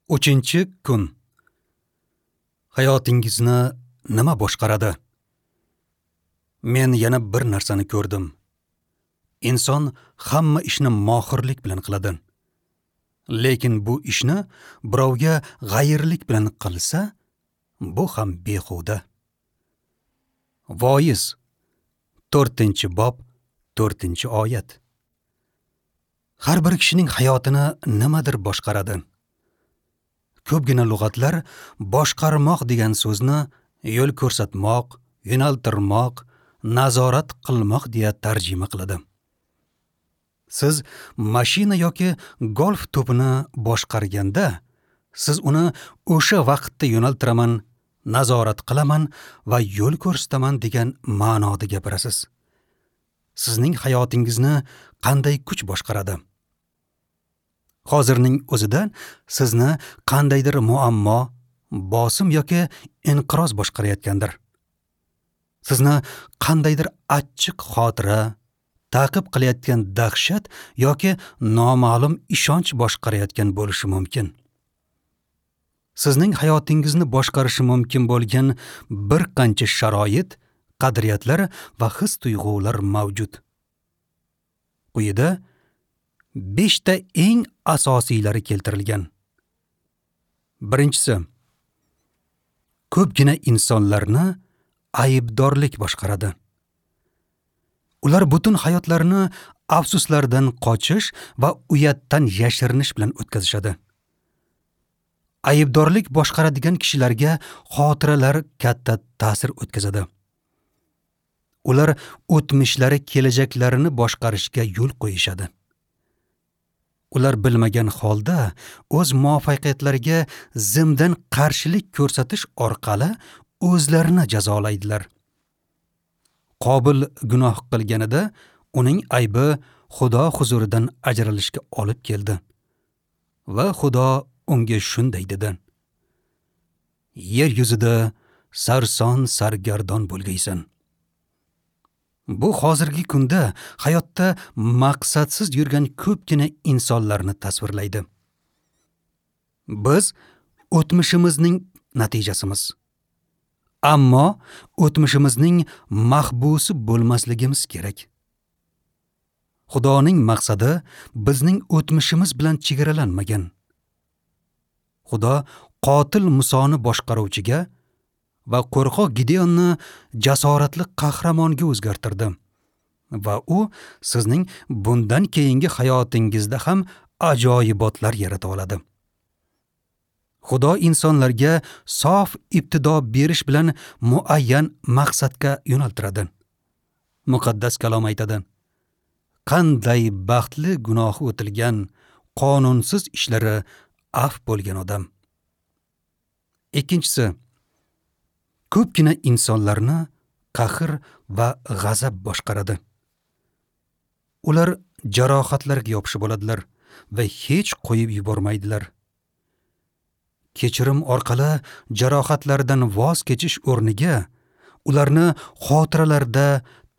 3-kun. Hayotingizni nima boshqaradi? Men yana bir narsani ko'rdim. Inson hamma ishni mohirlik bilan qiladi. Lekin bu ishni birovga g'ayirlik bilan qilsa, bu ham behuda. Voiz 4-bob 4-oyat. Har bir kishining hayotini nimadir boshqaradi. Ko'pgina lug'atlar boshqarmoq degan so'zni yo'l ko'rsatmoq, yo'naltirmoq, nazorat qilmoq deya tarjima qiladi. Siz mashina yoki golf to'pini boshqarganda, siz uni o'sha vaqtda yo'naltiraman, nazorat qilaman va yo'l ko'rsataman degan ma'noda gapirasiz. Sizning hayotingizni qanday kuch boshqaradi? Hozirning o'zida sizni qandaydir muammo, bosim yoki inqiroz boshqarayotgandir. Sizni qandaydir achchiq xotira, ta'qib qilayotgan dahshat yoki noma'lum ishonch boshqarayotgan bo'lishi mumkin. Sizning hayotingizni boshqarishi mumkin bo'lgan bir qancha sharoit, qadriyatlar va his-tuyg'ular mavjud. Quyida 5 ta eng asosiylari keltirilgan. Birinchisi, ko'pgina insonlarni aybdorlik boshqaradi. Ular butun hayotlarini afsuslardan qochish va uyatdan yashirinish bilan o'tkazishadi. Aybdorlik boshqaradigan kishilarga xotiralar katta ta'sir o'tkazadi. Ular o'tmishlari kelajaklarini boshqarishga yo'l qo'yishadi. Ular bilmagan holda o'z muvaffaqiyatlariga zimdan qarshilik ko'rsatish orqali o'zlarini jazolaydilar. Qobil gunoh qilganida uning aybi Xudo huzuridan ajralishga olib keldi. Va Xudo unga shunday dedi: Yer yuzida sarson sargardon bo'lgaysan. Bu hozirgi kunda hayotda maqsadsiz yurgan ko'pgina insonlarni tasvirlaydi. Biz o'tmishimizning natijasimiz. Ammo o'tmishimizning mahbusi bo'lmasligimiz kerak. Xudoning maqsadi bizning o'tmishimiz bilan chegaralanmagan. Xudo qotil Musoni boshqaruvchiga va qo'rqoq Gideonni jasoratli qahramonga o'zgartirdi. Va u sizning bundan keyingi hayotingizda ham ajoyibotlar yarata oladi. Xudo insonlarga sof ibtido berish bilan muayyan maqsadga yo'naltiradi. Muqaddas kalom aytadi: Qanday baxtli gunohi o'tilgan, qonunsiz ishlari af bo'lgan odam. Ikkinchisi, ko'pgina insonlarni qahr va g'azab boshqaradi. Ular jarohatlarga yopishib oladilar va hech qo'yib yubormaydilar. Kechirim orqali jarohatlardan voz kechish o'rniga ularni xotiralarda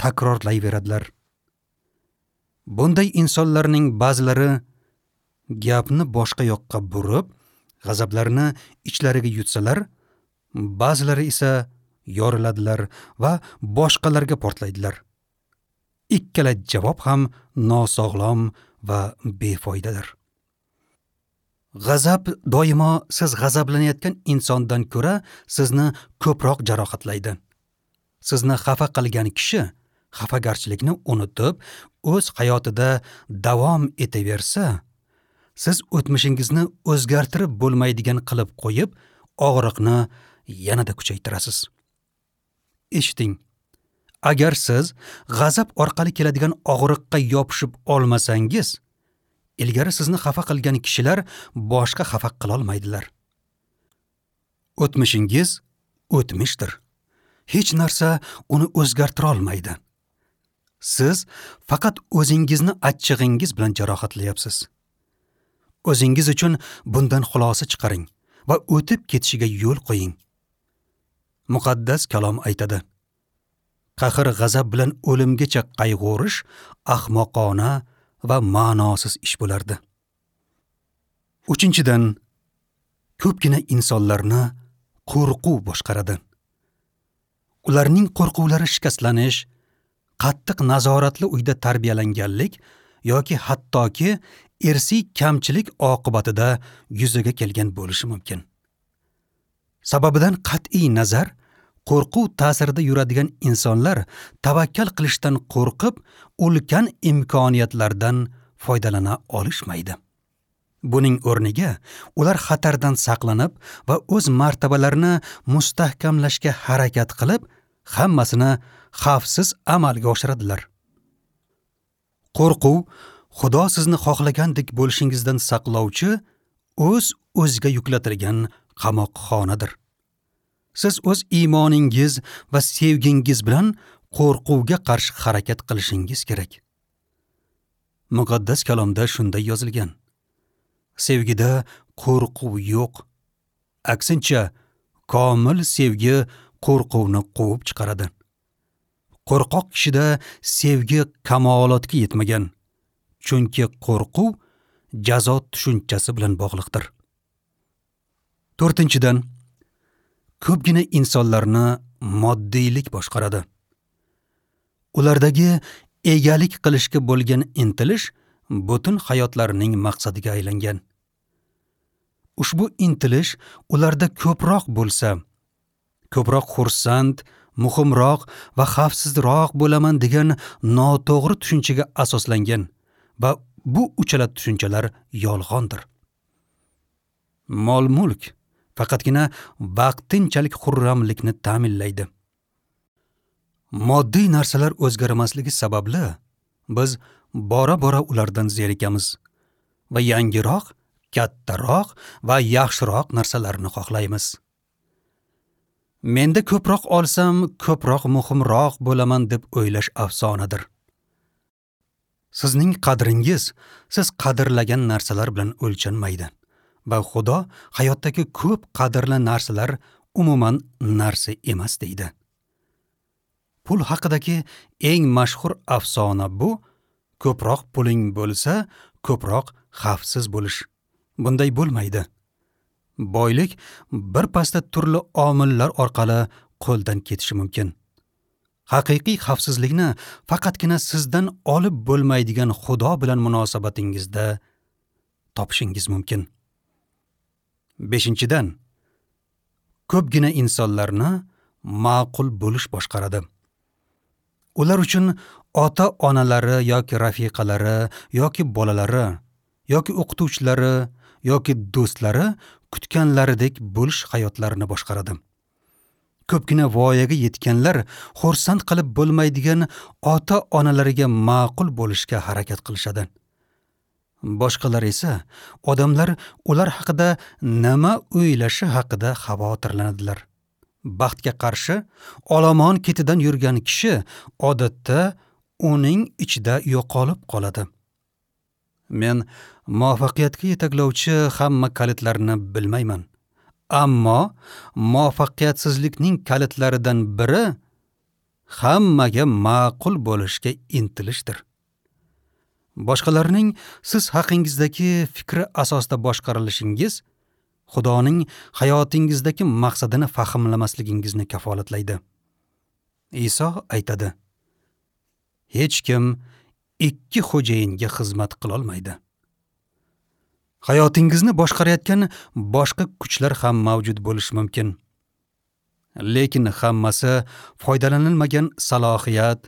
takrorlayveradilar. Bunday insonlarning ba'zilari gapni boshqa yoqqa burib, g'azablarini ichlariga yutsalar, ba'zilari esa yoriladilar va boshqalarga portlaydilar. Ikkala javob ham nosog'lom va befoydadir. G'azab doimo siz g'azablanayotgan insondan ko'ra sizni ko'proq jarohatlaydi. Sizni xafa qilgan kishi xafagarchilikni unutib, o'z hayotida davom etaversa, siz o'tmishingizni o'zgartirib bo'lmaydigan qilib qo'yib, og'riqni yanada kuchaytirasiz. Eshiting. Agar siz g'azab orqali keladigan og'riqqa yopishib olmasangiz, ilgari sizni xafa qilgan kishilar boshqa xafa qila olmaydilar. O'tmishingiz o'tmishdir. Hech narsa uni o'zgartira olmaydi. Siz faqat o'zingizni achchig'ingiz bilan jarohatlayapsiz. O'zingiz uchun bundan xulosa chiqaring va o'tib ketishiga yo'l qo'ying. Muqaddas kalom aytadi: Qahr g'azab bilan o'limgacha qayg'urish ahmoqona va ma'nosiz ish bo'lardi. Uchinchidan, Ko'pgina insonlarni qo'rquv boshqaradi. Ularning qo'rquvlari shikastlanish, qattiq nazoratli uyda tarbiyalanganlik yoki hattoki irsiy kamchilik oqibatida yuzaga kelgan bo'lishi mumkin. Sababidan qat'iy nazar, qo'rquv ta'sirida yuradigan insonlar tavakkal qilishdan qo'rqib, ulkan imkoniyatlardan foydalana olishmaydi. Buning o'rniga ular xatardan saqlanib va o'z martabalarini mustahkamlashga harakat qilib, hammasini xavfsiz amalga oshiradilar. Qo'rquv Xudo sizni xohlagandek bo'lishingizdan saqlovchi o'z-o'ziga yuklatilgan qamoqxonadir. Siz o'z iymoningiz va sevgingiz bilan qo'rquvga qarshi harakat qilishingiz kerak. Muqaddas kalomda shunday yozilgan: sevgida qo'rquv yo'q. Aksincha, komil sevgi qo'rquvni quvib chiqaradi. Qo'rqoq kishida sevgi kamolotga yetmagan, chunki qo'rquv jazo tushunchasi bilan bog'liqdir. To'rtinchidan, ko'pgina insonlarni moddiylik boshqaradi. Ulardagi egalik qilishga bo'lgan intilish butun hayotlarining maqsadiga aylangan. Ushbu intilish ularda ko'proq bo'lsa, ko'proq xursand, muhimroq va xavfsizroq bo'laman degan noto'g'ri tushunchaga asoslangan va bu uchala tushunchalar yolg'ondir. Mol-mulk faqatgina vaqtinchalik xurramlikni ta'minlaydi. Moddiy narsalar o'zgarmasligi sababli biz bora-bora ulardan zerikamiz va yangiroq, kattaroq va yaxshiroq narsalarni xohlaymiz. Menda ko'proq olsam, ko'proq muhimroq bo'laman deb o'ylash afsonadir. Sizning qadringiz siz qadrlagan narsalar bilan o'lchanmaydi va Xudo hayotdagi ko'p qadrli narsalar umuman narsa emas deydi. Pul haqidagi eng mashhur afsona bu: ko'proq puling bo'lsa, ko'proq xavfsiz bo'lish. Bunday bo'lmaydi. Boylik bir pasda turli omillar orqali qo'ldan ketishi mumkin. Haqiqiy xavfsizlikni faqatgina sizdan olib bo'lmaydigan Xudo bilan munosabatingizda topishingiz mumkin. Beshinchidan, ko'pgina insonlarni ma'qul bo'lish boshqaradi. Ular uchun ota-onalari yoki rafiqalari yoki bolalari yoki o'qituvchilari yoki do'stlari kutganlaridek bo'lish hayotlarini boshqaradi. Ko'pgina voyaga yetganlar xursand qilib bo'lmaydigan ota-onalariga ma'qul bo'lishga harakat qilishadi. Boshqalar esa odamlar ular haqida nima o'ylashi haqida xavotirlanadilar. Baxtga qarshi olomon ketidan yurgan kishi odatda uning ichida yo'qolib qoladi. Men muvaffaqiyatga yetaklovchi hamma kalitlarni bilmayman. Ammo muvaffaqiyatsizlikning kalitlaridan biri hammaga ma'qul bo'lishga intilishdir. Boshqalarning siz haqingizdagi fikri asosida boshqarilishingiz Xudoning hayotingizdagi maqsadini fahmlamasligingizni kafolatlaydi. Iso aytadi: hech kim ikki xo'jayinga xizmat qila olmaydi. Hayotingizni boshqarayotgan boshqa kuchlar ham mavjud bo'lishi mumkin. Lekin hammasi foydalanilmagan salohiyat,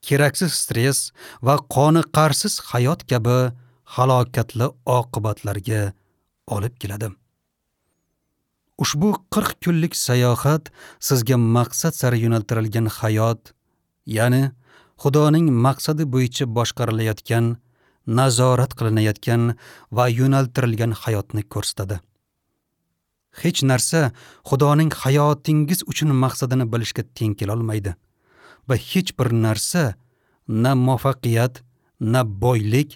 keraksiz stress va qoniqarsiz hayot kabi halokatli oqibatlarga olib keladi. Ushbu 40 kunlik sayohat sizga maqsad sari yo'naltirilgan hayot, ya'ni Xudoning maqsadi bo'yicha boshqarilayotgan, nazorat qilinayotgan va yo'naltirilgan hayotni ko'rsatadi. Hech narsa Xudoning hayotingiz uchun maqsadini bilishga teng kela olmaydi va hech bir narsa na muvaffaqiyat, na boylik,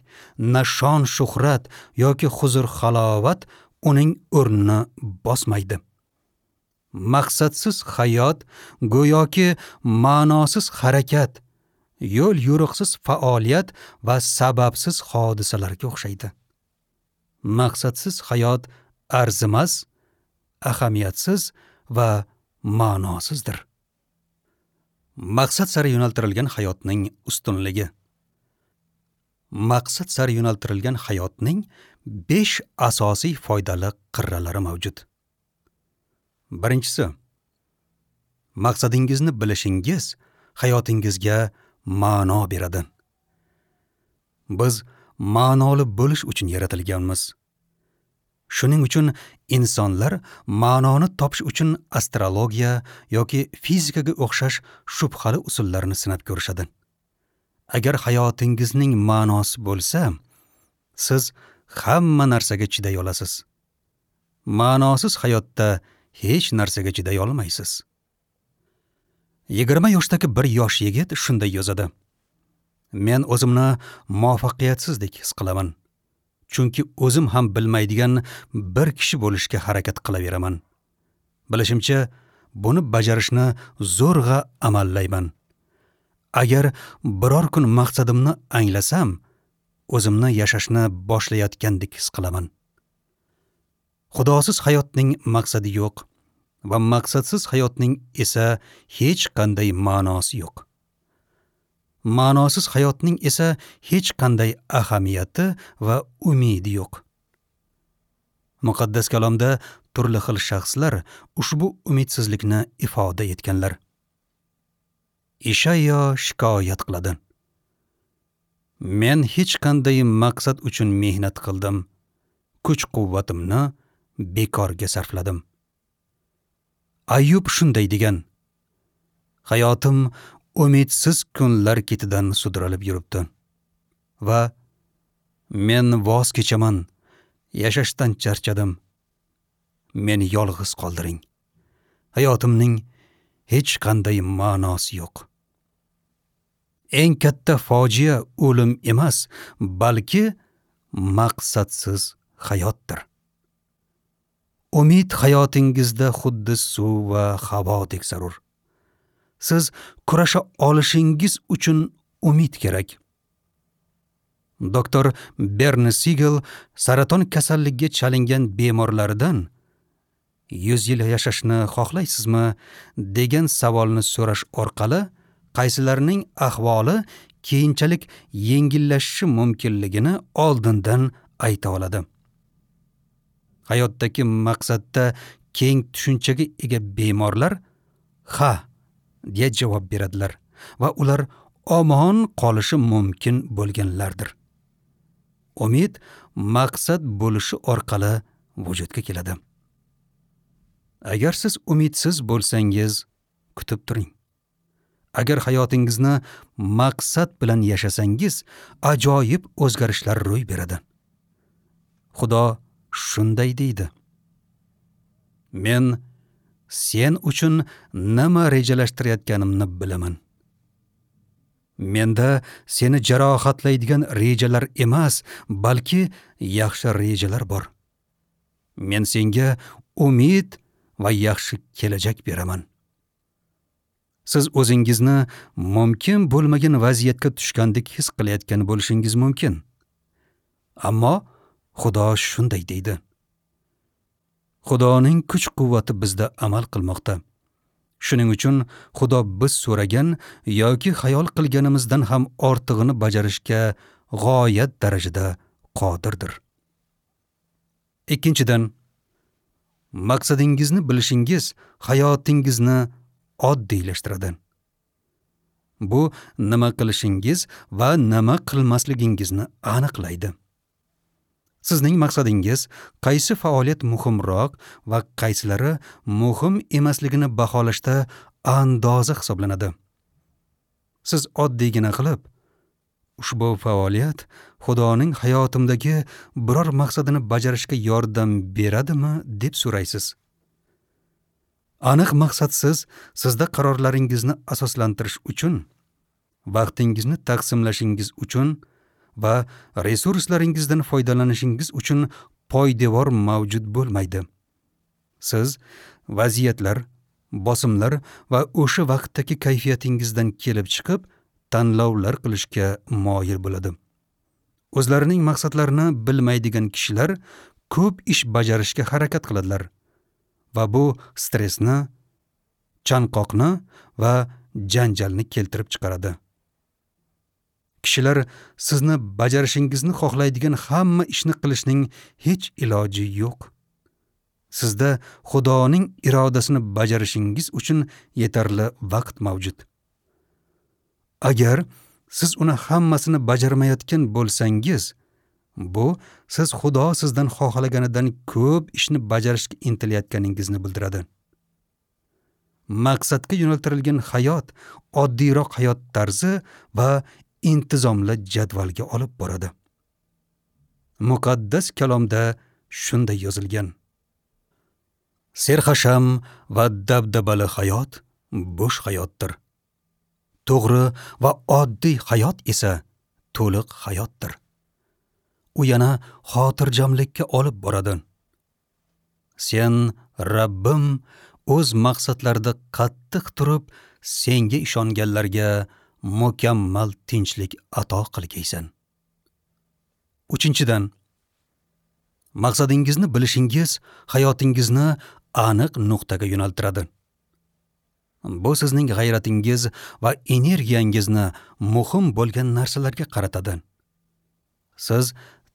na shon-shuhrat yoki huzur-halovat uning o'rnini bosmaydi. Maqsadsiz hayot go'yoki ma'nosiz harakat, yo'l yo'riqsiz faoliyat va sababsiz hodisalarga o'xshaydi. Maqsadsiz hayot arzimas ahamiyatsiz va ma'nosizdir. Maqsad sari yo'naltirilgan hayotning ustunligi. Maqsad sari yo'naltirilgan hayotning 5 asosiy foydali qirralari mavjud. Birinchisi, maqsadingizni bilishingiz hayotingizga ma'no beradi. Biz ma'noli bo'lish uchun yaratilganmiz. Shuning uchun insonlar ma'noni topish uchun astrologiya yoki fizikaga o'xshash shubhali usullarni sinab ko'rishadi. Agar hayotingizning ma'nosi bo'lsa, siz hamma narsaga chiday olasiz. Ma'nosiz hayotda hech narsaga chiday olmaysiz. 20 yoshdagi bir yosh yigit shunday yozadi: Men o'zimni muvaffaqiyatsizdek his qilaman. Chunki o'zim ham bilmaydigan bir kishi bo'lishga harakat qilaveraman. Bilishimcha, buni bajarishni zo'rg'a amallayman. Agar biror kun maqsadimni anglasam, o'zimni yashashni boshlayotgandek his qilaman. Xudosiz hayotning maqsadi yo'q va maqsadsiz hayotning esa hech qanday ma'nosi yo'q. Ma'nosiz hayotning esa hech qanday ahamiyati va umidi yo'q. Muqaddas kalomda turli xil shaxslar ushbu umidsizlikni ifoda etganlar. Ishayo shikoyat qiladi: Men hech qanday maqsad uchun mehnat qildim, kuch-quvvatimni bekorga sarfladim. Ayyub shunday degan: Hayotim umidsiz kunlar ketidan sudralib yuribdi va men voz kechaman, yashashdan charchadim. Meni yolg'iz qoldiring. Hayotimning hech qanday ma'nosi yo'q. Eng katta fojia o'lim emas, balki maqsadsiz hayotdir. Umid hayotingizda xuddi suv va havodek zarur. Siz kurasha olishingiz uchun umid kerak. Doktor Berni Siegel saraton kasalligiga chalingan bemorlaridan 100 yil yashashni xohlaysizmi degan savolni so'rash orqali qaysilarining ahvoli keyinchalik yengillashishi mumkinligini oldindan ayta oladi. Hayotdagi maqsadda keng tushunchaga ega bemorlar ha deya javob beradilar va ular omon qolishi mumkin bo'lganlardir. Umid maqsad bo'lishi orqali vujudga keladi. Agar siz umidsiz bo'lsangiz, kutib turing. Agar hayotingizni maqsad bilan yashasangiz, ajoyib o'zgarishlar ro'y beradi. Xudo shunday deydi: Men sen uchun nima rejalashtirayotganimni bilaman. Menda seni jarohatlaydigan rejalar emas, balki yaxshi rejalar bor. Men senga umid va yaxshi kelajak beraman. Siz o'zingizni mumkin bo'lmagan vaziyatga tushgandek his qilayotgan bo'lishingiz mumkin. Ammo Xudo shunday deydi. Xudoning kuch-quvvati bizda amal qilmoqda. Shuning uchun Xudo biz so'ragan yoki xayol qilganimizdan ham ortig'ini bajarishga g'oyat darajada qodirdir. Ikkinchidan, maqsadingizni bilishingiz hayotingizni oddiylashtiradi. Bu nima qilishingiz va nima qilmasligingizni aniqlaydi. Sizning maqsadingiz qaysi faoliyat muhimroq va qaysilari muhim emasligini baholashda andoza hisoblanadi. Siz oddiygina qilib, ushbu faoliyat Xudoning hayotimdagi biror maqsadini bajarishga yordam beradimi deb so'raysiz. Aniq maqsadsiz sizda qarorlaringizni asoslantirish uchun, vaqtingizni taqsimlashingiz uchun va resurslaringizdan foydalanishingiz uchun poydevor mavjud bo'lmaydi. Siz vaziyatlar, bosimlar va o'sha vaqtdagi kayfiyatingizdan kelib chiqib tanlovlar qilishga moyil bo'ladi. O'zlarining maqsadlarini bilmaydigan kishilar ko'p ish bajarishga harakat qiladilar. Va bu stressni, chanqoqni va janjalni keltirib chiqaradi. Kishilar sizni bajarishingizni xohlaydigan hamma ishni qilishning hech iloji yo'q. Sizda Xudoning irodasini bajarishingiz uchun yetarli vaqt mavjud. Agar siz uni hammasini bajarmayotgan bo'lsangiz, bu siz Xudo sizdan xohlaganidan ko'p ishni bajarishga intilayotganingizni bildiradi. Maqsadga yo'naltirilgan hayot oddiyroq hayot tarzi va intizomli jadvalga olib boradi. Muqaddas kalomda shunday yozilgan: Serhasham va dabdabali hayot bo'sh hayotdir. To'g'ri va oddiy hayot esa to'liq hayotdir. U yana xotirjamlikka olib boradi. Sen, Rabbim, o'z maqsadlarida qattiq turib, senga ishonganlarga mukammal tinchlik ato qilgaysan. Uchinchidan, maqsadingizni bilishingiz hayotingizni aniq nuqtaga yo'naltiradi. Bu sizning g'ayratingiz va energiyangizni muhim bo'lgan narsalarga qaratadi. Siz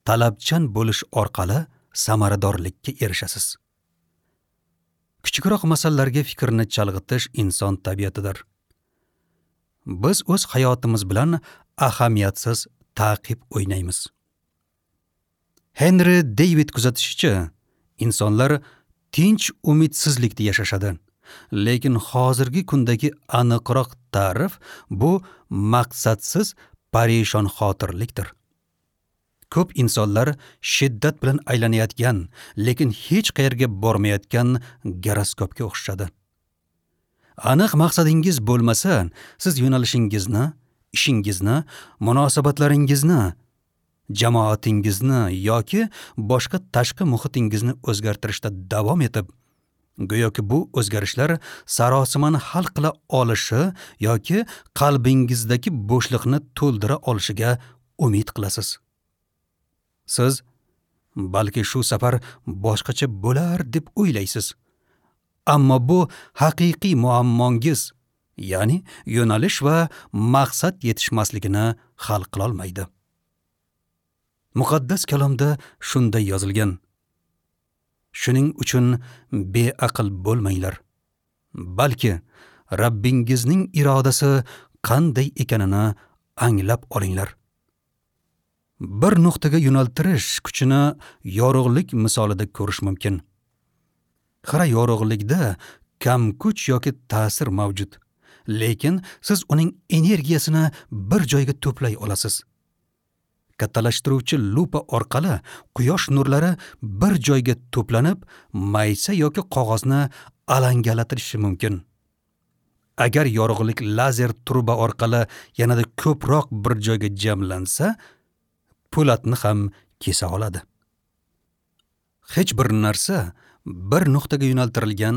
talabchan bo'lish orqali samaradorlikka erishasiz. Kichikroq masalalarga fikrni chalg'itish inson tabiatidir. Biz o'z hayotimiz bilan ahamiyatsiz ta'qib o'ynaymiz. Henry David kuzatishicha, insonlar tinch umidsizlikda yashashadi. Lekin hozirgi kundagi aniqroq ta'rif bu maqsadsiz parishon xotirlikdir. Ko'p insonlar shiddat bilan aylanayotgan, lekin hech qayerga bormayotgan goroskopga o'xshashadi. Aniq maqsadingiz bo'lmasa, siz yo'nalishingizni, ishingizni, munosabatlaringizni, jamoatingizni yoki boshqa tashqi muhitingizni o'zgartirishda davom etib, go'yoki bu o'zgarishlar sarosimani hal qila olishi yoki qalbingizdagi bo'shliqni to'ldira olishiga umid qilasiz. Siz balki shu safar boshqacha bo'lar deb o'ylaysiz. Ammo bu haqiqiy muammongiz, ya'ni yo'nalish va maqsad yetishmasligini hal qila olmaydi. Muqaddas kalomda shunday yozilgan: Shuning uchun beaql bo'lmanglar, balki Rabbingizning irodasi qanday ekanini anglab olinglar. Bir nuqtaga yo'naltirish kuchini yorug'lik misolida ko'rish mumkin. Xira yorug'likda kam kuch yoki ta'sir mavjud, lekin siz uning energiyasini bir joyga to'play olasiz. Kattalashtiruvchi lupa orqali quyosh nurlari bir joyga to'planib, maysa yoki qog'ozni alangalatirishi mumkin. Agar yorug'lik lazer truba orqali yanada ko'proq bir joyga jamlansa, po'latni ham kesa oladi. Hech bir narsa bir nuqtaga yo'naltirilgan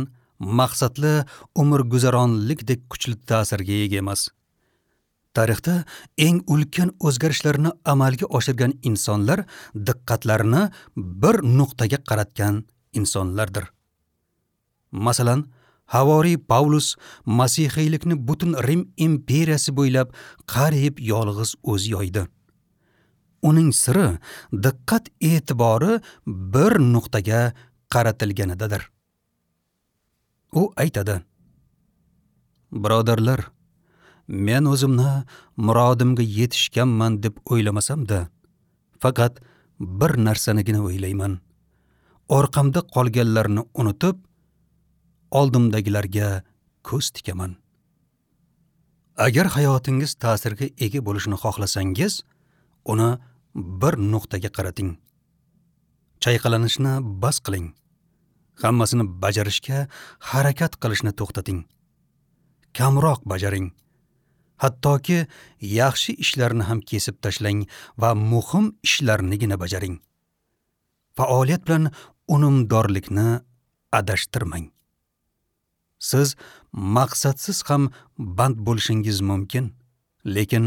maqsadli umrguzaronlikdek kuchli ta'sirga ega emas. Tarixda eng ulkan o'zgarishlarni amalga oshirgan insonlar diqqatlarini bir nuqtaga qaratgan insonlardir. Masalan, Havoriy Pavlus masihiylikni butun Rim imperiyasi bo'ylab qariyb yolg'iz o'zi yoydi. Uning siri diqqat e'tibori bir nuqtaga qaratilganidadir. U aytadi: Birodarlar, men o'zimni murodimga yetishganman deb o'ylamasam-da, faqat bir narsanigina o'ylayman. Orqamda qolganlarni unutib, oldimdagilarga ko'z tikaman. Agar hayotingiz ta'sirga ega bo'lishini xohlasangiz, uni bir nuqtaga qarating. Chayqalanishni bas qiling. Hammasini bajarishga harakat qilishni to'xtating. Kamroq bajaring. Hattoki yaxshi ishlarni ham kesib tashlang va muhim ishlarnigina bajaring. Faoliyat bilan unumdorlikni adashtirmang. Siz maqsadsiz ham band bo'lishingiz mumkin, lekin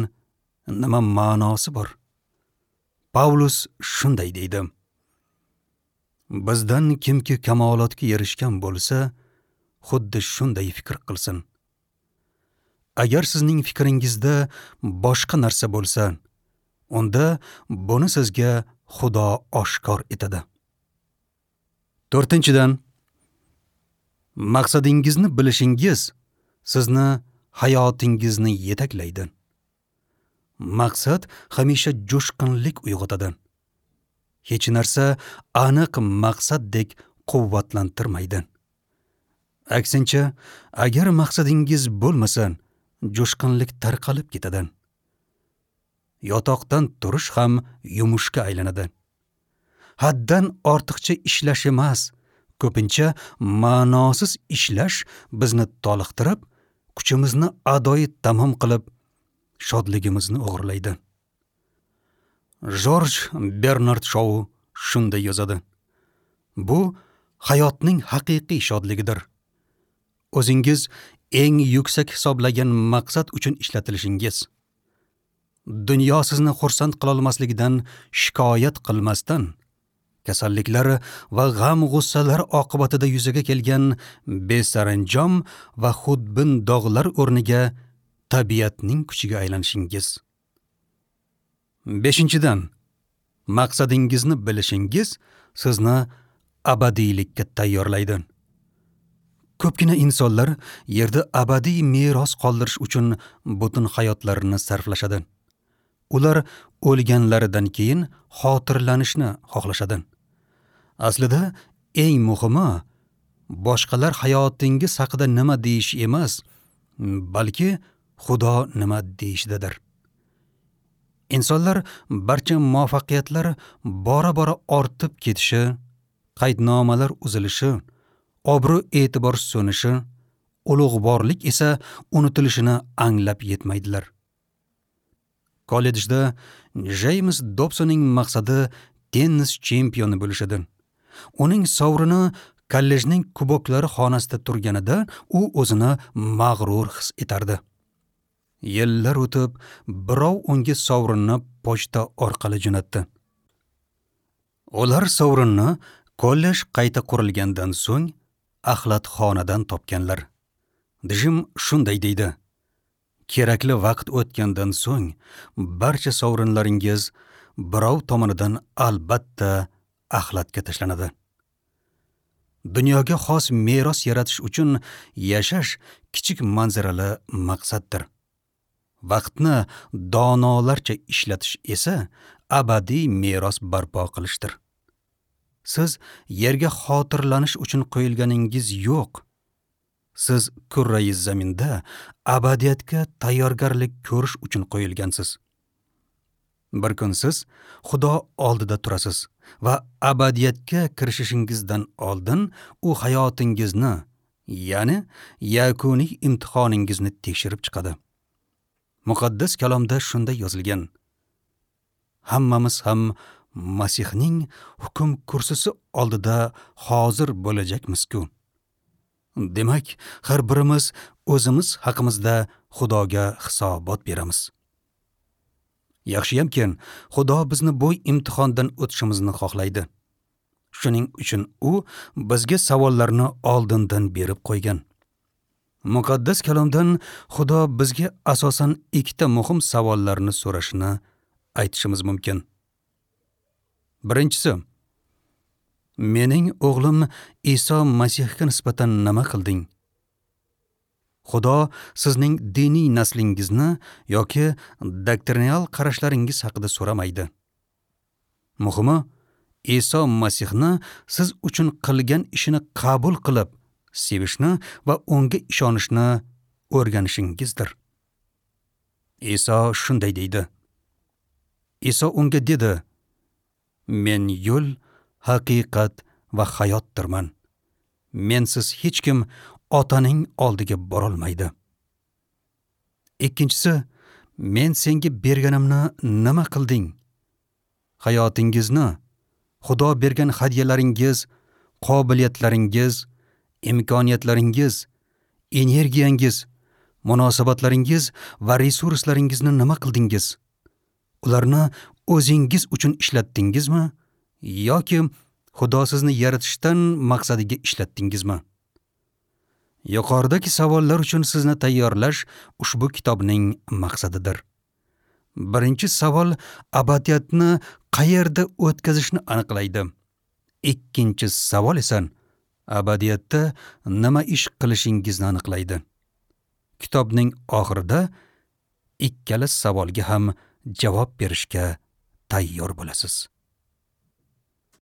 nima ma'nosi bor? Pavlus shunday deydi: Bizdan kimki kamolotga erishgan bo'lsa, xuddi shunday fikr qilsin. Agar sizning fikringizda boshqa narsa bo'lsa, unda buni sizga Xudo oshkor etadi. To'rtinchidan, maqsadingizni bilishingiz sizni hayotingizni yetaklaydi. Maqsad hamisha jo'shqinlik uyg'otadi. Hech narsa aniq maqsaddek quvvatlantirmaydi. Aksincha, agar maqsadingiz bo'lmasa, jo'shqinlik tarqalib ketadi. Yotoqdan turish ham yumushga aylanadi. Haddan ortiqcha ishlash emas, ko'pincha ma'nosiz ishlash bizni toliqtirib, kuchimizni adoyi tamom qilib, shodligimizni o'g'irlaydi. Jorj Bernard Shou shunday yozadi: Bu hayotning haqiqiy shodligidir. O'zingiz eng yuksak hisoblagan maqsad uchun ishlatilishingiz. Dunyo sizni xursand qilolmasligidan shikoyat qilmasdan, kasalliklar va g'am-g'ussalar oqibatida yuzaga kelgan besaranjom va xudbin dog'lar o'rniga tabiatning kuchiga aylanishingiz. Beshinchidan, maqsadingizni bilishingiz sizni abadiylikka tayyorlaydi. Ko'pgina insonlar yerda abadiy meros qoldirish uchun butun hayotlarini sarflashadi. Ular o'lganlaridan keyin xotirlanishni xohlashadi. Aslida eng muhimi boshqalar hayotingiz haqida nima deyish emas, balki Xudo nima deyishidadir. Insonlar barcha muvaffaqiyatlar bora-bora ortib ketishi, qaydnomalar uzilishi, obro'-e'tibor so'nishi, ulug'vorlik esa unutilishini anglab yetmaydilar. Kollejda Jeyms Dobsonning maqsadi tennis chempioni bo'lish edi. Uning sovrini kollejning kuboklari xonasida turganida u o'zini mag'rur his etardi. Yillar o'tib, birov unga sovrinni pochta orqali jo'natdi. Ular sovrinni kollej qayta qurilgandan so'ng axlatxonadan topganlar. Jim shunday deydi: Kerakli vaqt o'tgandan so'ng barcha sovrinlaringiz birov tomonidan albatta axlatga tashlanadi. Dunyoga xos meros yaratish uchun yashash kichik manzarali maqsaddir. Vaqtni donolarcha ishlatish esa abadiy meros barpo qilishdir. Siz yerga xotirlanish uchun qo'yilganingiz yo'q. Siz kurrai zaminda abadiyatga tayyorgarlik ko'rish uchun qo'yilgansiz. Bir kun siz Xudo oldida turasiz va abadiyatga kirishingizdan oldin u hayotingizni, ya'ni yakuniy imtihoningizni tekshirib chiqadi. Muqaddas kalomda shunday yozilgan: Hammamiz ham Masihning hukm kursisi oldida hozir bo'lajakmiz-ku. Demak, har birimiz o'zimiz haqimizda Xudoga hisobot beramiz. Yaxshiyamki, Xudo bizni bu imtihondan o'tishimizni xohlaydi. Shuning uchun u bizga savollarni oldindan berib qo'ygan. Muqaddas kalomdan Xudo bizga asosan ikkita muhim savollarni so'rashini aytishimiz mumkin. Birinchisi: Mening o'g'lim Iso Masihga nisbatan nima qilding? Xudo sizning diniy naslingizni yoki doktrinal qarashlaringiz haqida so'ramaydi. Muhimi, Iso Masihni siz uchun qilgan ishini qabul qilib, sevishni va unga ishonishni o'rganishingizdir. Iso shunday deydi. Iso unga dedi: Men yo'l, haqiqat va hayotdirman. Mensiz hech kim Otaning oldiga borolmaydi. Ikkinchisi: Men senga berganimni nima qilding? Hayotingizni, Xudo bergan hadyalaringiz, qobiliyatlaringiz, imkoniyatlaringiz, energiyangiz, munosabatlaringiz va resurslaringizni nima qildingiz? Ularni o'zingiz uchun ishlatdingizmi yoki Xudo sizni yaratishdan maqsadiga ishlatdingizmi? Yuqoridagi savollar uchun sizni tayyorlash ushbu kitobning maqsadidir. Birinchi savol abadiyatni qayerda o'tkazishni aniqlaydi. Ikkinchi savol esa abadiyatda nima ish qilishingizni aniqlaydi. Kitobning oxirida ikkala savolga ham javob berishga tayyor bo'lasiz.